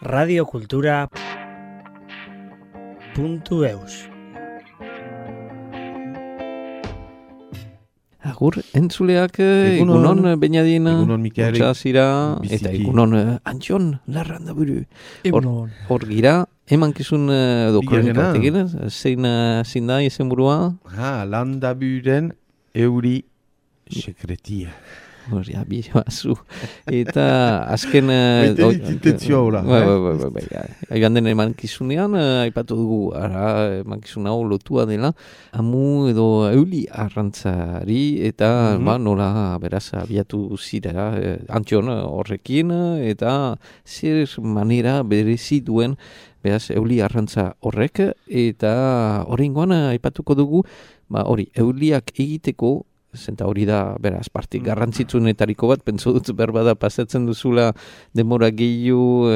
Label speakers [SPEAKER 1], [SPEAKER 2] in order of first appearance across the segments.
[SPEAKER 1] radiokultura.eus.
[SPEAKER 2] Agur, entzuleak, egunon Beñadin,
[SPEAKER 3] egunon Mikael,
[SPEAKER 2] Zira, eta egunon Antxon, Larranda buru. Hor gira, emankizun kronika batekin, zein da izen burua?
[SPEAKER 3] Landaburen euri sekretia.
[SPEAKER 2] Horia, bihazu. Eta azken...
[SPEAKER 3] Intentzio hola.
[SPEAKER 2] Aigan den emankizunean, aipatu dugu, emankizun hau lotua dela, amu edo euli arrantzari, eta nola beraz abiatu zira Antxon horrekin, eta zer manera berezi duen beraz euli arrantza horrek, eta horrengoan aipatuko dugu, euliak egiteko, zenta hori da, beraz, partik garrantzitsunetariko bat, pentsu dut berbada pasatzen duzula denbora gehiu,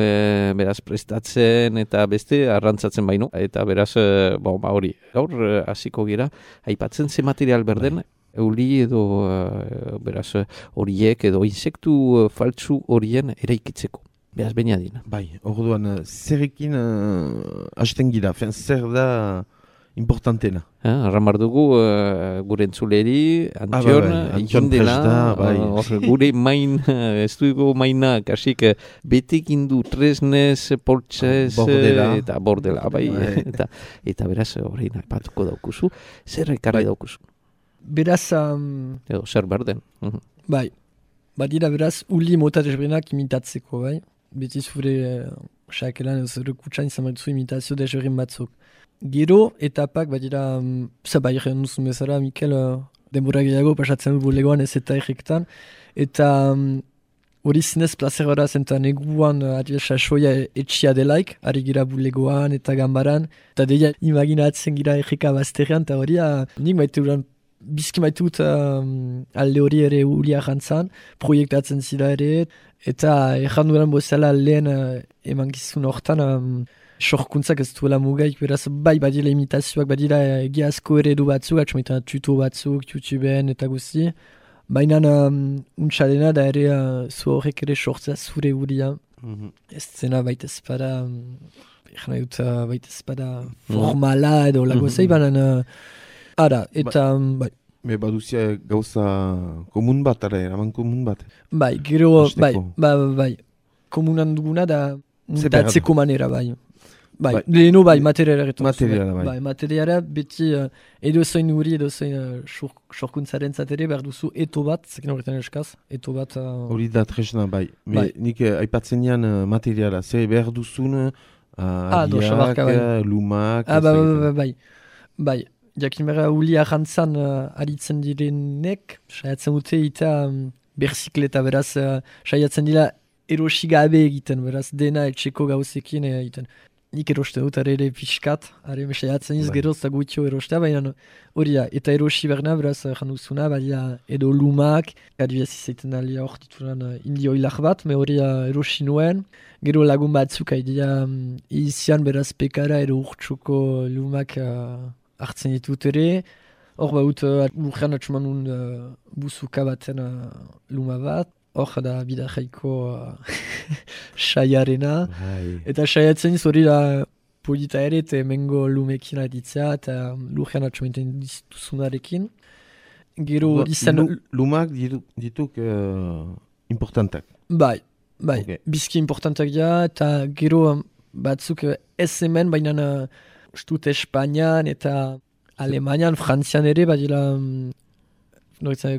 [SPEAKER 2] beraz, prestatzen eta beste arrantzatzen baino, eta beraz, hori, gaur hasiko gira, aipatzen ze material berden, euli edo, beraz, horiek edo insektu faltsu horien eraikitzeko. Beraz, Beñadin.
[SPEAKER 3] Bai, orduan, zerrekin hasten gira, zer da importantena.
[SPEAKER 2] Arramar dugu gure entzuleri, Antxon, ikindela, gure main, ez dugu maina, kasik betekin du tresnez, poltsez, eta bordela, eta beraz horrein aipatuko daukuzu, zer ekarri daukuzu?
[SPEAKER 4] Beraz...
[SPEAKER 2] Edo, zer berden.
[SPEAKER 4] Bai, badira beraz, uli mota desberdinak imitatzeko, bai? Beti zure xakelan, zure kutsain zamartzu imitazio desberdin batzuk. Gero etapak, badira, bai egin duzun bezala, Mikel, denbora gehiago pasatzen du bulegoan ez eta errektan, eta hori zinez placer bara zentan neguan sasoia etxia delaik, ari gira bulegoan eta gambaran, eta deia imaginatzen gira erreka bazterrean, eta hori nik maite duran bizki maitut alde hori ere ulia jantzan, proiektatzen zira ere, eta erran duran bozala lehen emankizun hortan, sorkuntzak ez duela mugaik, beraz bai badila imitazioak, badila egiazko eredu batzuk, atxometan tuto batzuk, YouTubeen eta guzti. Baina untxalena da ere zu horrek ere sortzea zure uria. Ez zena baita espada, baita espada formala edo lagozei, baina eta bai.
[SPEAKER 3] Baduzia gauza komun bat, eraman komun bat.
[SPEAKER 4] Bai, gero, bai, komunan duguna da mutatzeko manera, bai. Bai, leheno bai, materiala retorzu. Bai, materiala beti edo zoin uri, edo zoin sorkuntzaren zatere, behar duzu eto bat, zekin horretan eskaz, eto bat...
[SPEAKER 3] Hori da tresna, bai. Nik aipatzen nian materiala, zer behar duzun, adiak, lumak...
[SPEAKER 4] Bai, jakin behar uli arrantzan aritzen direnek, saiatzen dute eta berzikleta, beraz, saiatzen dira erosigabe egiten, beraz, dena etxeko gauzekin egiten. Nik eroste dut, ere pixkat, mesaiatzen iz geroz eta gutxo erostea, baina hori da, eta erosi berna, beraz, janduzuna, baina edo lumak, adibidez izaiten alia hor dituran indio hilak bat, me hori erosi nuen, gero lagun batzuk haidia izian, beraz, pekara edo urtsuko lumak hartzen ditut ere, hor baut urrean atxuman nun buzuka baten luma bat, hor da bidajaiko saiarena. Eta saiatzen iz hori da polita ere eta emengo lumekin aditzea eta lurrean atxomenten dituzunarekin. Gero izan...
[SPEAKER 3] Lumak dituk importantak.
[SPEAKER 4] Bai, bizki importantak ja eta gero batzuk ez hemen, baina ustut Espainian eta Alemanian, Frantzian ere, badila...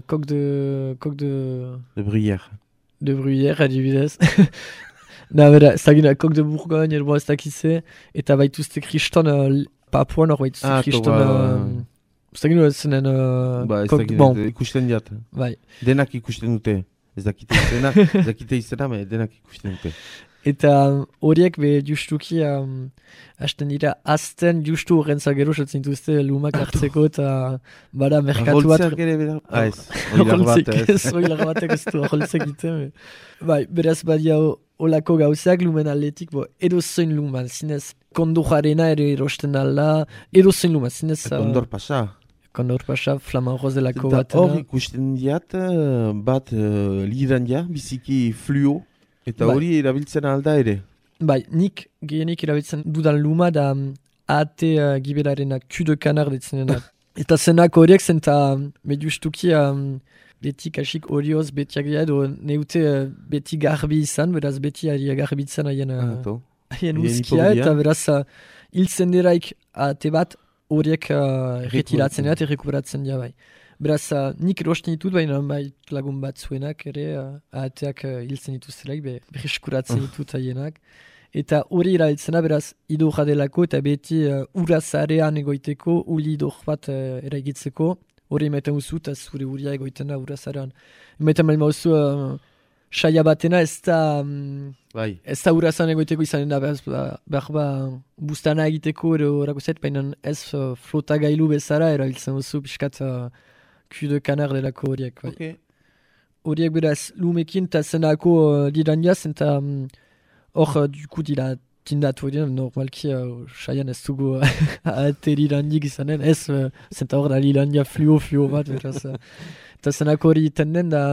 [SPEAKER 4] coq de
[SPEAKER 3] bruyère.
[SPEAKER 4] De bruyère, adibidez. Bera, ez dakina, coq de Bourgogne, elboa ez dakize, eta baituzte kriston papuan, hor baituzte kriston... Ez dakina, zenen...
[SPEAKER 3] Ez dakina, ikusten diat.
[SPEAKER 4] Bai.
[SPEAKER 3] Denak ikusten dute. Ez dakite izena, denak ikusten dute.
[SPEAKER 4] Eta horiek be justuki hasten dira azten justu horrentza gero sotzen dituzte lumak hartzeko eta bada merkatu bat...
[SPEAKER 3] Holtzeak ere bera? Ez,
[SPEAKER 4] oilar batek ez du holtzek egiten. Bai, beraz badia olako gauzak lumen atletik, edo zoin luman, zinez kondojarena ere erosten alda, edo zoin luman, zinez...
[SPEAKER 3] Kondor pasa.
[SPEAKER 4] Kondor pasa, flaman rozelako bat.
[SPEAKER 3] Hor ikusten diat, bat lidan ja, biziki fluo. Eta hori erabiltzen alda ere.
[SPEAKER 4] Bai, nik gehienik erabiltzen dudan luma da ate gibelarenak, Q de Canard ditzenenak. Eta zenak horiek zen eta justuki beti kasik horioz betiak dira edo neute beti garbi izan, beraz beti ari garbitzen haien uzkia, eta beraz hiltzen diraik ate bat horiek retiratzen dira eta rekuperatzen dira bai. Beraz nik erosten ditut baina bai lagun bat zuenak ere ateak hiltzen dituztelaik, berreskuratzen ditut haienak. Eta hori erabiltzena beraz idor delako eta beti urazarean egoiteko, uli idor bat eraigitzeko, hori emaiten duzu eta zure uria egoiten da urazarean. Emaiten bali mauzu saia batena ez da urazan egoiteko izanen da behar bustana egiteko ero horako zait, baina ez flotagailu bezala erabiltzen duzu pixkat Q de Canard delako horiek. Horiek beraz lumekin eta zenako lirandiaz eta hor, duku dira tindatu horiek, normalki saian ez dugu ate lirandik izanen, ez zenta hor da lirandia fluo bat, beraz. Eta zenako hori iten den da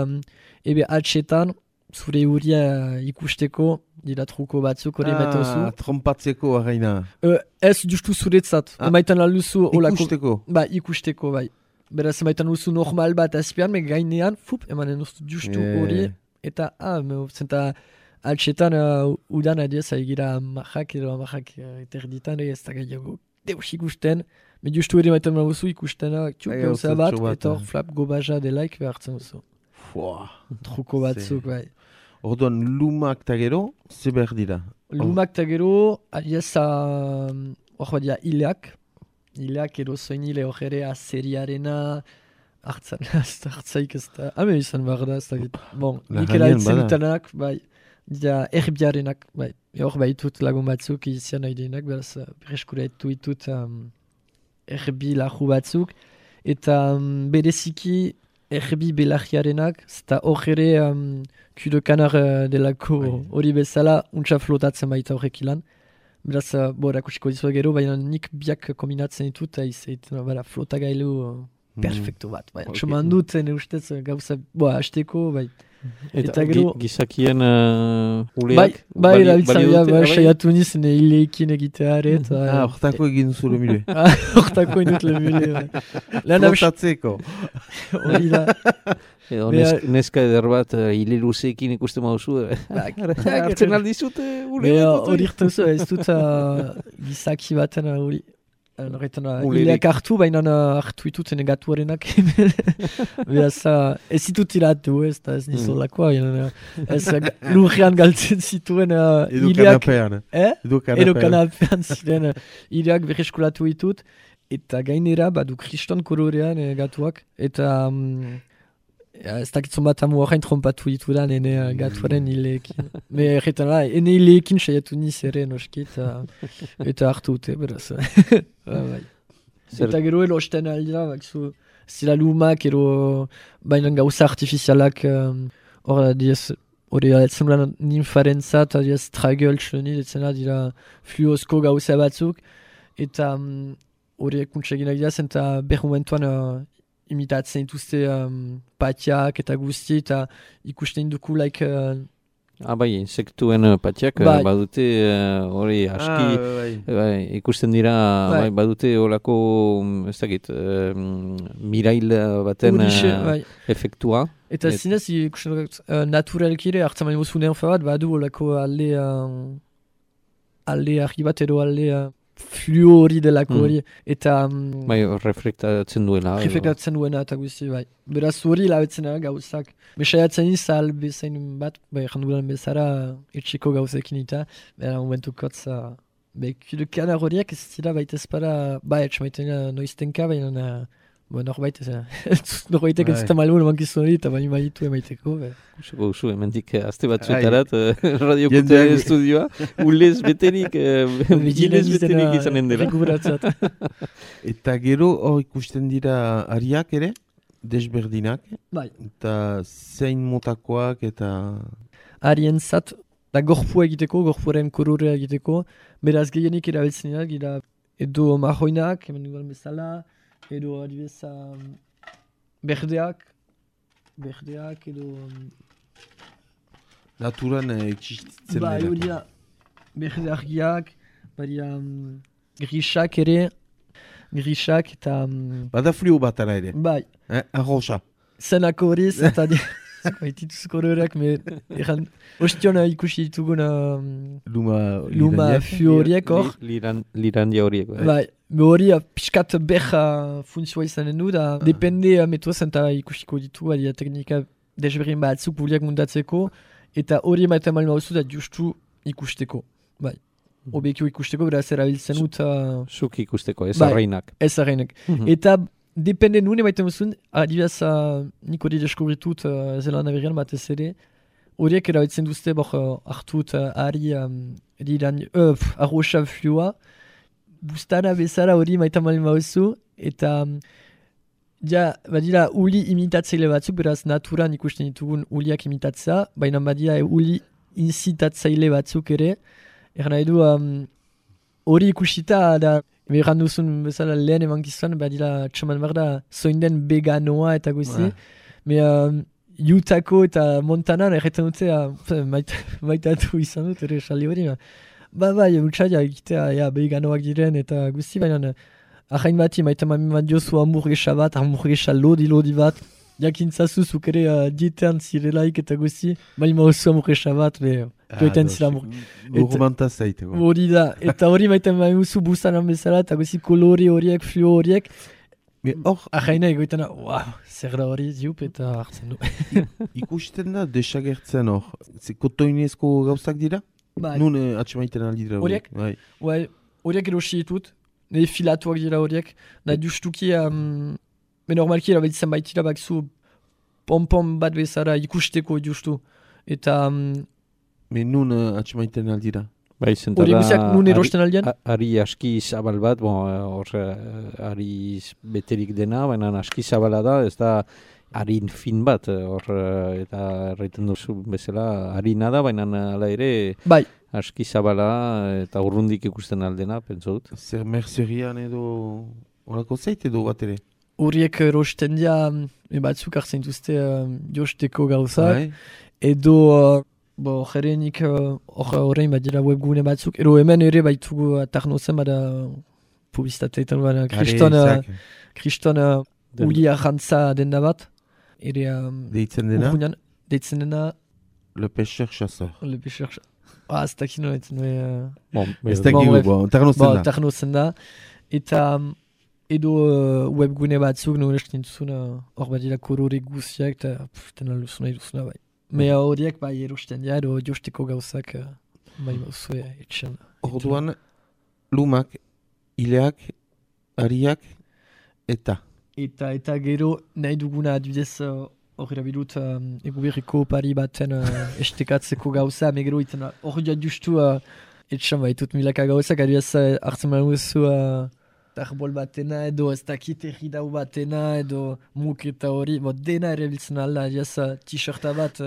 [SPEAKER 4] ebe atxetan, zure huria ikusteko, dira truko batzuk hori metozu.
[SPEAKER 3] Trompatzeko arraina.
[SPEAKER 4] Ez justu zuretzat. Emaitan alduzu
[SPEAKER 3] ikusteko.
[SPEAKER 4] Ba, ikusteko, bai. Beraz, emaitan alduzu normal bat azpian, me gainean, emaitan alduzu justu hori, eta, zenta altxetan udan adiez, egira marrak edo marrak eterditan, ez da gaiago deus ikusten, me justu ere emaitan alduzu ikustena, txuk gauza bat, eta hor flap gobaja delaik behartzen duzu. Truko batzuk, bai.
[SPEAKER 3] Orduan, lumak eta gero, ze behar dira?
[SPEAKER 4] Lumak eta gero, adiez, hor badia hileak edo zoin hile hor ere azeriarena, hartzaik ez da, hame izan behar da, ez da git. Bon, nik eraitzen dutanak, bai, dira erbiarenak, bai. Hor baitut lagun batzuk izian nahi denak, beraz, berreskuretu ditut erbi lahu batzuk, eta bereziki erbi belagiarenak, eta hor ere Q de Canard delako hori bezala, untsa flotatzen baita horrek ilan. Beraz, erakusiko dizua gero, baina nik biak kombinatzen ditut, eta flotagailu perfektu bat. Txoman dut, ustez, gauza, hasteko, bai.
[SPEAKER 2] Eta gero gizakien uleak?
[SPEAKER 4] Bai, erabiltzea, saiatu nizen hileekin egiteare.
[SPEAKER 3] Hortako egin duzu le mule.
[SPEAKER 4] Hortako egin dut le mule.
[SPEAKER 3] Flotatzeko.
[SPEAKER 4] Hori da.
[SPEAKER 2] Edo neska eder bat hile luzeekin ikusten mauzu. Artzen aldizut uleak.
[SPEAKER 4] Hori irten zu, ez dut gizaki baten hori. Hileak hartu, baina hartu ituten egatuarenak. Beraz, ez ditut iratu, ez nizolakoa. Ez lurrean galtzen zituen hileak. Edo kanapean ziren hileak berreskulatu ditut. Eta gainera, badu kriston kolorean gatuak. Eta ez dakitzon bat amu horrein trompatu ditudan ene gatuaren hileekin. Erretan da, ene hileekin saiatu niz ere noski eta hartu dute, beraz. Eta gero elosten aldira, zila lumak ero baina gauza artifizialak hor diez hori aletzen lan ninfaren zat, diez tragel txoni, detzena dira fluozko gauza batzuk, eta horiek kuntseginak dira zen eta behar momentuan imitatzen dituzte patiak eta guzti, eta ikusten duku
[SPEAKER 2] bai, insektuen patiak badute hori aski ikusten dira badute horako ez dakit mirail baten efektua.
[SPEAKER 4] Eta zinez ikusten naturalki ere hartzen baino zunean bat badu horako alde argi bat edo alde fluo hori delako hori, eta
[SPEAKER 2] reflektatzen duela.
[SPEAKER 4] Reflektatzen duena eta guzti, bai. Beraz hori labetzen gauzak. Besaiatzen izal bezain bat, jandulan bezara etxeko gauzekin eta, momentukotz, Q de Canard horiak ez dira baita ezpara, etxamaiten noiztenka, baina norbait ez zuten malun mankizun hori, eta baina baitu emaiteko.
[SPEAKER 2] Kuseko duzu, emendik azte batzuetarat, Radio Kutearen estudioa, ulez betenik, gilez betenik izanen dela.
[SPEAKER 3] Eta gero hor ikusten dira ariak ere, desberdinak, eta zein motakoak eta...
[SPEAKER 4] Arien zat, da gorpua egiteko, gorpuaren kolorea egiteko, beraz gehienik erabiltzen dira, edo marroinak, hemen duan bezala, edo adibez berdeak edo...
[SPEAKER 3] Naturan existitzen dira.
[SPEAKER 4] berde argiak, badia grisak ere, grisak eta...
[SPEAKER 3] Bada fluo bat ara ere.
[SPEAKER 4] Bai.
[SPEAKER 3] Arrosa.
[SPEAKER 4] Zenako horiz, eta baitituz koloreak, ostion ikusi ditugun luma fio horiek hor.
[SPEAKER 2] Lirandia horiek.
[SPEAKER 4] Bai, hori pixkat beha funtzioa izanen du, da depende metuazen eta ikusiko ditu, adia teknika desberdin batzuk buliak mundatzeko, eta hori emaiten malma oso da justu ikusteko. Bai, obekio ikusteko, beraz erabiltzen dut...
[SPEAKER 2] Zuk ikusteko, ez arreinak.
[SPEAKER 4] Ez arreinak. Eta depende nuen emaiten duzun, adibidez nik hori deskubritut Zelanda berrian batez ere, horiek erabiltzen duzte hartut ari arrosa flua, bustana bezala hori emaiten malma oso, eta... Ja, badira uli imitatzeile batzuk, beraz naturan ikusten ditugun uliak imitatzea, baina badira uli inzitatzeile batzuk ere. Nahi du, hori ikusita, da, beran duzun bezala lehen emankizan, badira txoman berda, zoinden veganoa eta guzi. Utako eta Montanan erretan dute, maitatu izan dut, ere saldi hori. Bai, utxaila egitea veganoak diren eta guzi, baina... Ahain bati, maita bat jozu hamburguesa lodi bat. Jakintzazu zuk ere dietean zirelaik eta guzi. Baina oso hamburguesa bat, duetan zira hamburguesa.
[SPEAKER 3] Gurmanta zaiteko.
[SPEAKER 4] Hori da, eta hori maita maimuzu bustanan bezala eta guzi kolore horiek, fluo horiek. Ahaina egoitana, zer da hori ziup eta hartzen du.
[SPEAKER 3] Ikusten da, desagertzen hor. Kotoinezko gauzak dira? Nun atxemaiten aldi dira
[SPEAKER 4] horiek? Horiek erosi ditut. Nire filatuak dira horiek, nahi justuki, normalki erabiltzen baitira bakzu pompon bat bezara ikusteko justu. Eta...
[SPEAKER 3] Nun atxemaiten aldira?
[SPEAKER 2] Bai,
[SPEAKER 4] horiek guziak nun erosten aldean?
[SPEAKER 2] Ari aski zabal bat, ari beterik dena, baina aski zabala da, ez da harin fin bat, eta erraiten duzu bezala harina da, baina ala ere... Bai. Aski zabala eta urrundik ikusten aldena, pentsot.
[SPEAKER 3] Zer merzerian edo horako zeit edo bat ere?
[SPEAKER 4] Horiek rosten dira, batzuk hartzen duzte josteko gauzak. Edo, jerenik horrein bat dira webgune batzuk. Edo hemen ere baitugu tarnozen bada publizitateetan bada kriston uli arrantza denda bat.
[SPEAKER 3] Deitzen dena?
[SPEAKER 4] Deitzen dena...
[SPEAKER 3] Le pêcheur chasseur.
[SPEAKER 4] Le pêcheur chasseur. Ez dakit noetzen.
[SPEAKER 3] Ez dakit
[SPEAKER 4] tarnozen da. Eta edo webgune batzuk noresten duzuna hor bat dira kolore guziak eta tena luzuna eduzuna bai. Mea horiek bai erosten dira edo josteko gauzak bai mauzue etxan.
[SPEAKER 3] Orduan lumak, ileak, ariak eta?
[SPEAKER 4] Eta gero nahi duguna adibidez hor erabilut eguberriko pari baten estekatzeko gauza, megero iten hor justu etxan baitut milaka gauzak, adibidez hartzen manuzu tarbol batena edo ez dakit erridau batena edo muk eta hori, dena ere biltzen alda, adibidez t-shirta bat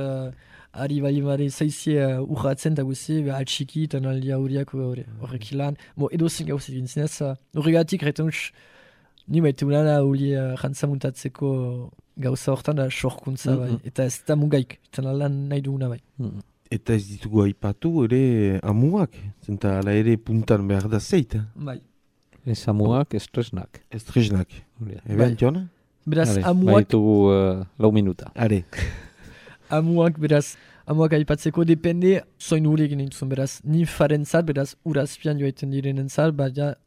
[SPEAKER 4] ari balimare zaizie urratzen eta guzi, altxiki eta naldia horiak horrek ilan, edo zen gauzak gintzinez, horregatik retan ni maite unana huli jantzamuntatzeko gauza hortan da sorkuntza bai, eta ez da mugaik, eta lan nahi duguna bai.
[SPEAKER 3] Eta ez ditugu aipatu ere amuak, zenta ala ere puntan behar da zeit.
[SPEAKER 4] Bai.
[SPEAKER 2] Ez amuak, ez tresnak.
[SPEAKER 3] Ez tresnak. Eben, Jona?
[SPEAKER 4] Beraz, amuak...
[SPEAKER 2] Baitugu 4 minuta.
[SPEAKER 3] Are.
[SPEAKER 4] Amuak aipatzeko depende zoin huri egin entzun, beraz, ninfaren zat, beraz, urazpian joaiten direnen zat, baina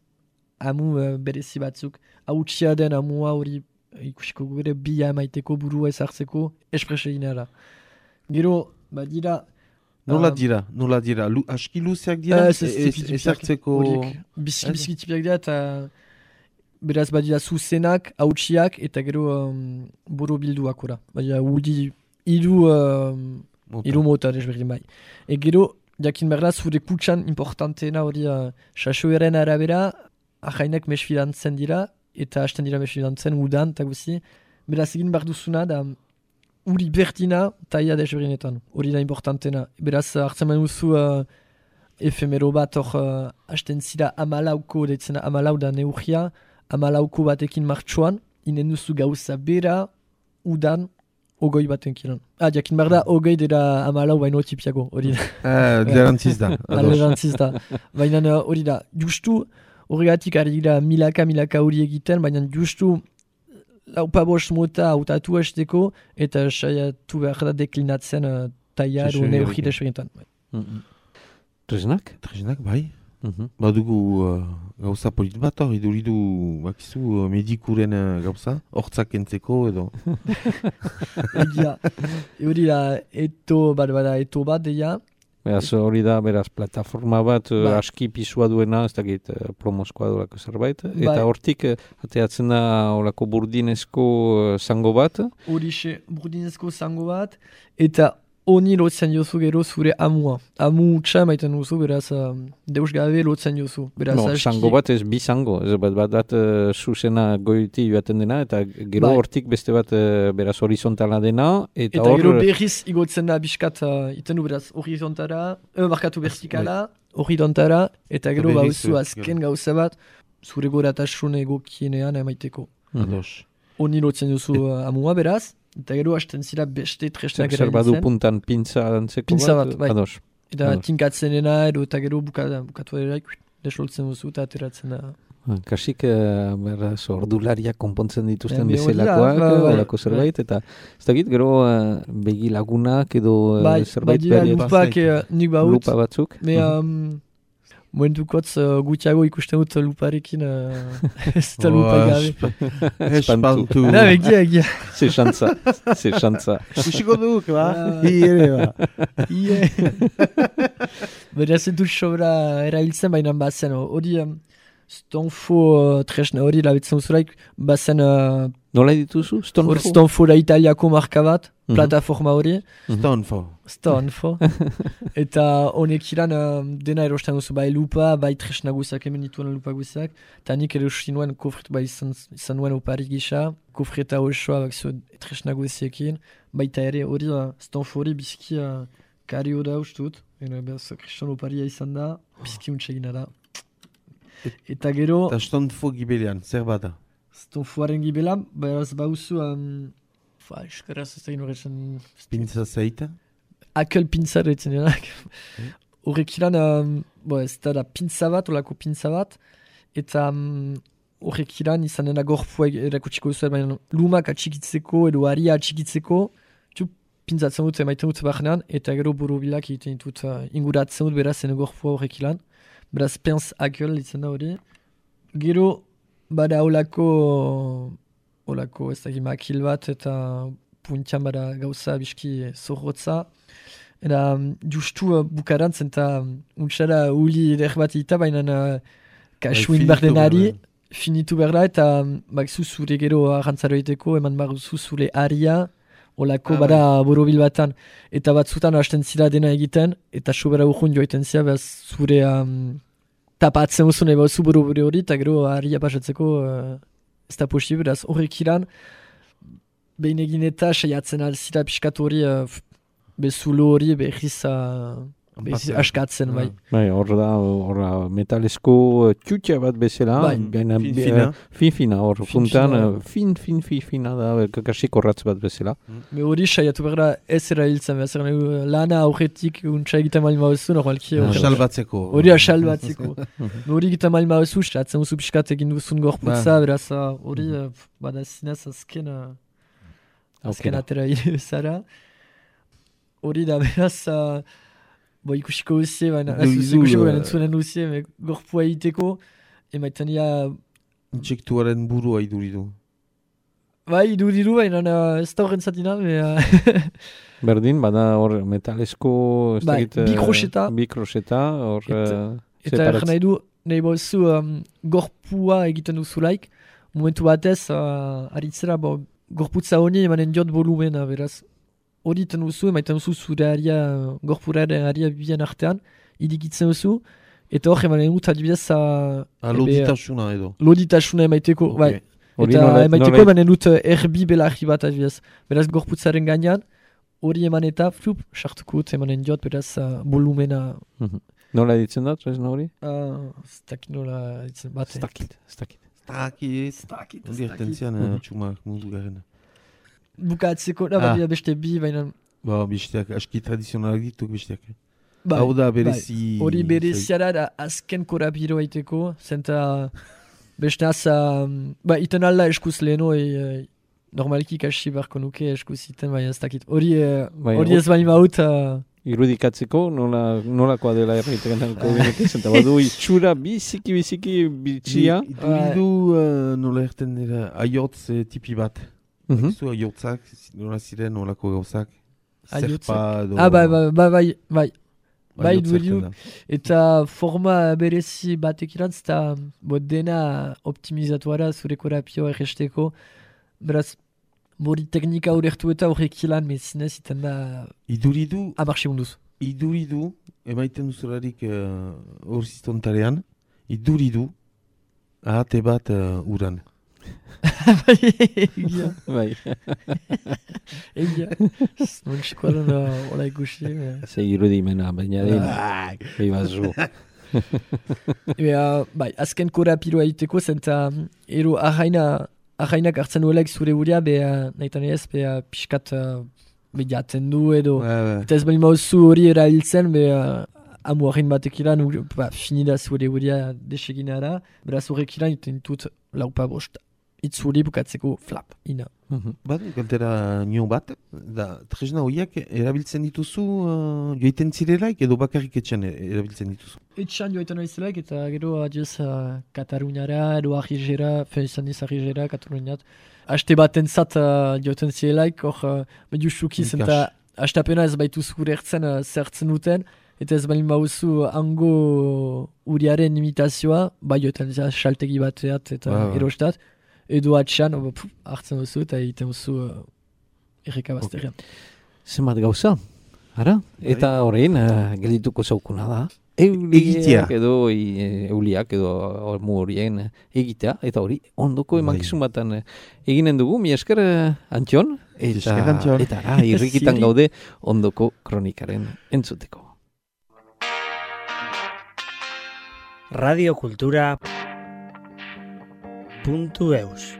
[SPEAKER 4] amu berezi batzuk. Hautsia den amua hori ikusiko gure bia emaiteko burua ezartzeko esprese ginara. Gero, badira...
[SPEAKER 3] Nola dira? Aski luzeak dira? Ezartzeko...
[SPEAKER 4] Bizki tipiak dira eta... Beraz, badira zuzenak, hautsiak eta gero boro bilduak ora. Badira, hiru mota desberdin bai. Gero, jakin berda, zure kutsan importanteena hori sasoeren arabera, ahainak mesfidantzen dira, eta hasten dira mesfidantzen udan, eta guzi. Beraz egin behar duzuna, da uri berdina taia desberdinetan, hori da importantena. Beraz hartzen manuzu efemero bat hor hasten zira amalauko, deitzena amalau da neurria, amalauko batekin martxoan, inen duzu gauza bera, udan, ogoi baten kilan. Jakin behar da, ogoi dira amalau baino tipiago, hori da.
[SPEAKER 3] Lerantziz da.
[SPEAKER 4] Lerantziz da. Baina hori da, justu horregatik ari gira milaka hori egiten, baina justu laupabos mota hautatu hasteko eta saiatu behar da deklinatzen taia edo neurri desberdintan.
[SPEAKER 2] Tresnak?
[SPEAKER 3] Tresnak, bai. Badugu gauza polit bat hor, iduridu bakizu medikuren gauza, hortzak entzeko edo.
[SPEAKER 4] Egia, hori da eto bat deia.
[SPEAKER 2] Beraz, hori da, beraz, plataforma bat aski pisua duena, ez dakit promozkoa dolako zerbait, eta hortik ateatzen da olako burdinezko zango bat.
[SPEAKER 4] Horixe, burdinezko zango bat, eta honi lotzen jozu gero zure amua. Amu utxa maiten duzu, beraz, deus gabe lotzen jozu.
[SPEAKER 2] Zango bat ez bi zango, ez bat zuzena goiti joaten dena, eta gero hortik beste bat beraz horizontala dena.
[SPEAKER 4] Eta gero berriz igotzen da biskat, iten du beraz horizontara, markatu vertikala, horizontara, eta gero bauzu azken gauza bat, zure goratasun egokienean emaiteko. Honi lotzen jozu amua beraz, eta gero hasten zira beste tresnak erabiltzen.
[SPEAKER 2] Zer badu puntan pintza dantzeko bat?
[SPEAKER 4] Bai. Eta tinkatzen dena, eta gero bukatu eraik, desloltzen duzu eta ateratzen da.
[SPEAKER 2] Kasik, ordulariak konpontzen dituzten bezalakoak, olako zerbait, eta ez dakit, gero begi lagunak edo zerbait lupa batzuk.
[SPEAKER 4] Momentukotz gutiago ikusten dut luparekin, ez da lupa gabe.
[SPEAKER 3] Espantu.
[SPEAKER 4] Egia.
[SPEAKER 2] Ze xantza.
[SPEAKER 3] Kusiko duk, ba? Iere, ba.
[SPEAKER 4] Beraz ez dut sobra erabiltzen baina bazen. Hori stonfo tresna hori labitzen duzulaik, bazen...
[SPEAKER 2] Nola dituzu?
[SPEAKER 4] Stonfo da italiako marka bat, plataforma hori. Stonfo. Eta honek iran dena erosten duzu, bai lupa, bai tresna guzak, hemen dituen lupa guzak. Eta nik erosten nuen kofret, bai izan nuen opari gisa, kofreta osoa bakzio tresna guziekin. Baita ere hori, stonfo hori bizki kario da ustut. Kriston oparia izan da, bizki untxegina da. Eta gero...
[SPEAKER 3] Eta stonfo gibelean, zer bada?
[SPEAKER 4] Stonfoaren gibelan, beraz bauzu... Eskaraz ez egin horretzen...
[SPEAKER 3] Pintza zeita?
[SPEAKER 4] Akel pintza retzen denak. Horrek ilan, ez da pintza bat, olako pintza bat, eta horrek ilan izan dena gorpua erakutsiko duzu, baina lumak atxikitzeko edo haria atxikitzeko, pintzatzen dut emaiten dut barnean, eta gero borobilak egiten dut inguratzen dut beraz ene gorpua horrek ilan. Beraz, penz akel ditzen da hori. Gero, bada olako ez dakit makil bat eta puntian bada gauza biski zorrotza. Eta justu bukarantzen eta untxara uli eder bat eta baina kasuin bardenari finitu berda eta bakzu zure gero arrantzaro egiteko eman baruzu zure aria olako bada borobil batan. Eta batzutan hasten zira dena egiten eta sobera urrun joiten zira behaz zure tapatzen uzun eba zu borobile hori eta gero aria pasatzeko ez da posible, beraz horrek iran behin egin eta saiatzen alzira piskat hori bezulo hori behiz askatzen, bai.
[SPEAKER 2] Bai, hor metalesko txutxa bat bezala, fin-fina, hor funtan, fin-fina da, kakasik horratz bat bezala.
[SPEAKER 4] Hori saiatu behar da ez erabiltzen, lana aurretik untsa egiten mali mauzu, normalki.
[SPEAKER 3] Asalbatzeko.
[SPEAKER 4] Hori asalbatzeko. Hori egiten mali mauzu, saiatzen duzu piskat egin duzun gorputza, beraz hori bada zinez azken atera zara. Hori da beraz... ikusiko duzie, baina entzunen duzie, gorpua egiteko, emaiten dira...
[SPEAKER 3] Intsektuaren burua iduridu.
[SPEAKER 4] Bai, iduridu, baina ez da horren zatina.
[SPEAKER 2] Berdin, bada hor metalesko...
[SPEAKER 4] Bikroseta. Eta ergen nahi du, nahi bozu gorpua egiten duzulaik, momentu batez, aritzera, gorputza honi emanen diot volumena, beraz. Hori iten duzu, emaiten duzu zure aria, gorpuraren aria bibian artean, idikitzen duzu, eta hor emanen dut adibidez...
[SPEAKER 3] Loditasuna edo.
[SPEAKER 4] Loditasuna emaiteko, bai. Eta emaiteko emanen dut erbi belarri bat adibidez. Beraz gorputzaren gainean, hori eman eta flup, sartuko dut emanen diot, beraz volumena...
[SPEAKER 2] Nola ditzen da, tresna hori?
[SPEAKER 4] Stakit nola ditzen bat.
[SPEAKER 2] Stakit.
[SPEAKER 3] Hori ertentzian txumak mundu garen.
[SPEAKER 4] bukatzeko, badira beste bi, baina...
[SPEAKER 3] Besteak, aski tradizionalak dituk besteak.
[SPEAKER 4] Hau
[SPEAKER 3] da berezi...
[SPEAKER 4] Hori bereziara da azken korapiro aiteko, zenta beste aza... iten alda eskuz leheno, normaliki kasi barko nuke eskuz iten, baina ez dakit. Hori ez bain maut...
[SPEAKER 2] Irudikatzeko, nolakoa dela erraitekan kogenetik, zenta badu itxura biziki bitxia.
[SPEAKER 3] Idu nola erten dira, aiotz tipi bat. Zu aiotzak, nola ziren, nolako gauzak. Zerpa edo...
[SPEAKER 4] Bai dugu, eta forma berezi batek irantz, eta dena optimizatuara zure korapioa erresteko. Beraz, bori teknika horretu eta horrek ilan, mezinez iten da...
[SPEAKER 3] Iduridu...
[SPEAKER 4] Amarxe munduz.
[SPEAKER 3] Iduridu, emaiten duzularik horziztontarean, iduridu, ahate bat uran.
[SPEAKER 2] Bai.
[SPEAKER 4] Egia. Non txikoaren hola ikusi.
[SPEAKER 2] Ze irudimena, baina bai bazu.
[SPEAKER 4] Bai, azken korapiroa iteko, zenta ero ahainak hartzen duelek zure buria, nahitan ez, pixkat jaten du edo. Eta ez bali mauzu hori erabiltzen, amu hain batek ilan, finida zure buria deseginara, beraz horrek ilan iten dut laupa bost. Itzuri bukatzeko flap, ina.
[SPEAKER 3] Galtera nio bat, da tresna horiak erabiltzen dituzu joiten zirelaik edo bakarrik etxan erabiltzen dituzu?
[SPEAKER 4] Etxan joiten aizelaik eta gero adioz Kataluniara edo Arrizera, izan iz Arrizera, Kataluniat. Aste baten zat joiten zirelaik, hor mediu sukiz eta astapena ez baitu zure zertzen duten, eta ez balin bauzu hango uriaren imitazioa, joiten saltegi bateat eta erostat. Edo atxan, hartzen duzu eta egiten duzu erreka bazterrean.
[SPEAKER 2] Zenbat gauza, ara? Eta horrein, geldituko zaukuna da.
[SPEAKER 3] Egitea.
[SPEAKER 2] Edo euliak edo mu horien egitea. Eta hori, ondoko emankizun batan eginen dugu. Mi esker Antxon. Eta irrikitan gaude ondoko kronikaren entzuteko.
[SPEAKER 1] Radio Kultura. .eus